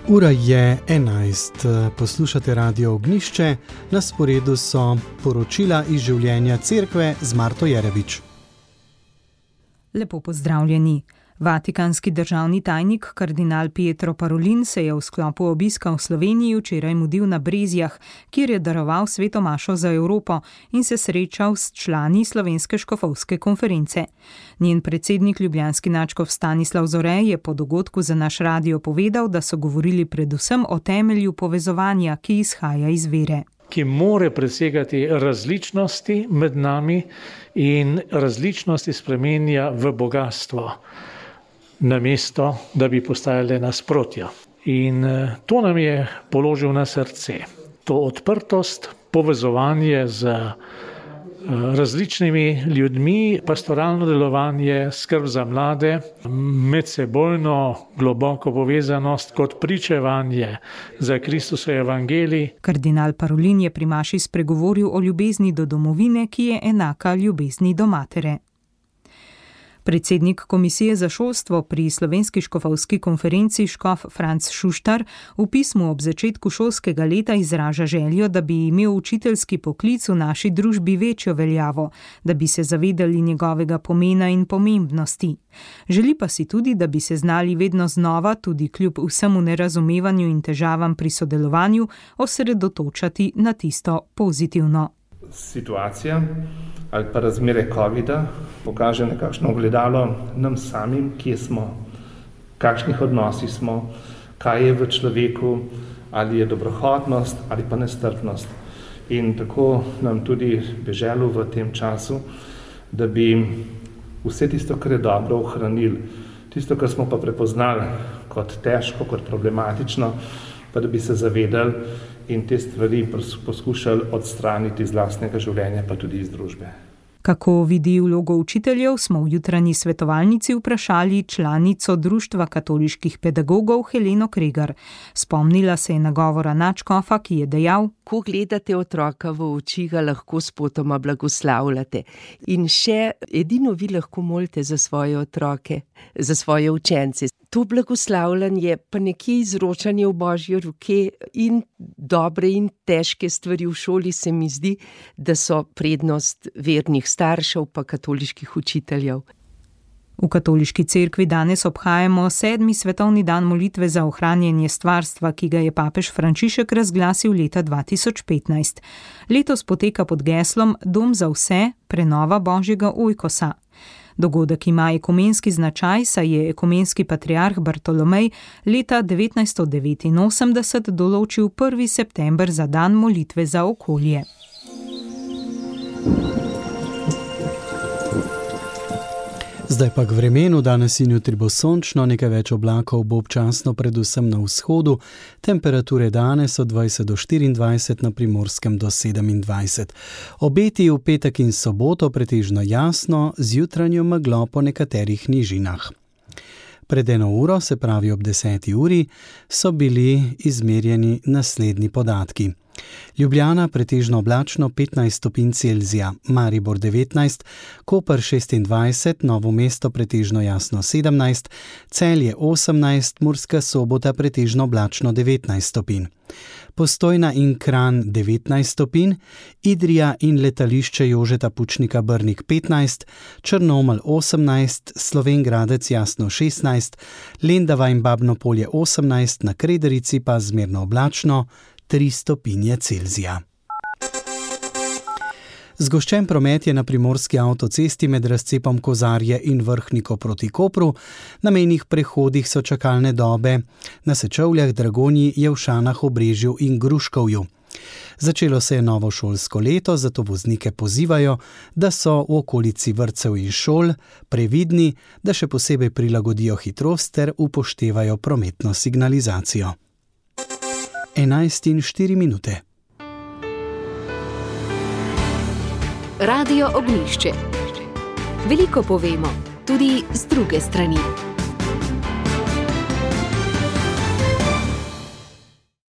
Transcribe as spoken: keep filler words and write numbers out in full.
Ura je enajst, poslušate Radio Ognjišče, na sporedu so poročila iz življenja cerkve z Marto Jerevič. Lepo pozdravljeni. Vatikanski državni tajnik kardinal Pietro Parolin se je v sklopu obiska v Sloveniji včeraj mudil na Brezjah, kjer je daroval sveto mašo za Evropo in se srečal s člani Slovenske škofovske konference. Njen predsednik ljubljanski nadškof Stanislav Zore je po dogodku za naš radio povedal, da so govorili predvsem o temelju povezovanja, ki izhaja iz vere. Ki more presegati različnosti med nami in različnosti spremenja v bogatstvo, namesto da bi postajale nasprotja. In to nam je položil na srce. To odprtost, povezovanje z različnimi ljudmi, pastoralno delovanje, skrb za mlade, medsebojno globoko povezanost kot pričevanje za Kristusov evangelij. Kardinal Parolin je pri maši spregovoril o ljubezni do domovine, ki je enaka ljubezni do matere. Predsednik Komisije za šolstvo pri Slovenski škofovski konferenci škof Franc Šuštar v pismu ob začetku šolskega leta izraža željo, da bi imel učiteljski poklic v naši družbi večjo veljavo, da bi se zavedali njegovega pomena in pomembnosti. Želi pa si tudi, da bi se znali vedno znova, tudi kljub vsemu nerazumevanju in težavam pri sodelovanju, osredotočati na tisto pozitivno. Situacija ali pa razmere covida pokaže nekakšno ogledalo nam samim, kje smo, kakšnih odnosih smo, kaj je v človeku, ali je dobrohotnost ali pa nestrpnost. In tako nam tudi bi želel v tem času, da bi vse tisto, kar je dobro, ohranili, tisto, kar smo pa prepoznali kot težko, kot problematično, pa da bi se zavedali in te stvari poskušali odstraniti iz lastnega življenja, pa tudi iz družbe. Kako vidi vlogo učiteljev, smo v jutranji svetovalnici vprašali članico Društva katoliških pedagogov Heleno Kregar. Spomnila se je nagovora nadškofa, ki je dejal: Ko gledate otroka v oči, ga lahko spotoma blagoslavljate. In še edino vi lahko molite za svoje otroke, za svoje učence. To blagoslavljanje pa nekje izročanje v Božje roke in dobre in težke stvari v šoli se mi zdi, da so prednost vernih staršev pa katoliških učiteljev. V katoliški cerkvi danes obhajamo sedmi svetovni dan molitve za ohranjanje stvarstva, ki ga je papež Frančišek razglasil leta dva tisoč petnajst. Letos poteka pod geslom Dom za vse, prenova Božjega ojkosa. Dogodek ima ekumenski značaj, saj je ekumenski patriarh Bartolomej leta devetnajststo devetinosemdeset določil prvi september za dan molitve za okolje. Zdaj pa k vremenu, danes in jutri bo sončno, nekaj več oblakov bo občasno predvsem na vzhodu, temperature danes od dvajset do štiriindvajset, na Primorskem do sedemindvajset. Obeti v petek in soboto pretežno jasno, z jutranjo meglo po nekaterih nižinah. Pred eno uro, se pravi ob deseti uri, so bili izmerjeni naslednji podatki. Ljubljana pretežno oblačno petnajst stopinj Celzija, Maribor devetnajst, Koper šestindvajset, Novo mesto pretežno jasno sedemnajst, Celje osemnajst, Murska Sobota pretežno oblačno devetnajst stopinj. Postojna in Kranj devetnajst stopinj, Idrija in letališče Jožeta Pučnika Brnik petnajst, Črnomelj osemnajst, Slovenj Gradec jasno šestnajst, Lendava in Babno Polje osemnajst, na Krederici pa zmerno oblačno tri stopinje Celzija. Zgoščen promet je na primorski avtocesti med razcepom Kozarje in Vrhniko proti Kopru, na mejnih prehodih so čakalne dobe, na Sečovljah, Dragonji, Jelšanah, Obrežju in Gruškovju. Začelo se je novo šolsko leto, zato voznike pozivajo, da so v okolici vrtcev in šol previdni, da še posebej prilagodijo hitrost ter upoštevajo prometno signalizacijo. enajst in štiri minute. Radio Ognjišče. Veliko povemo, tudi z druge strani.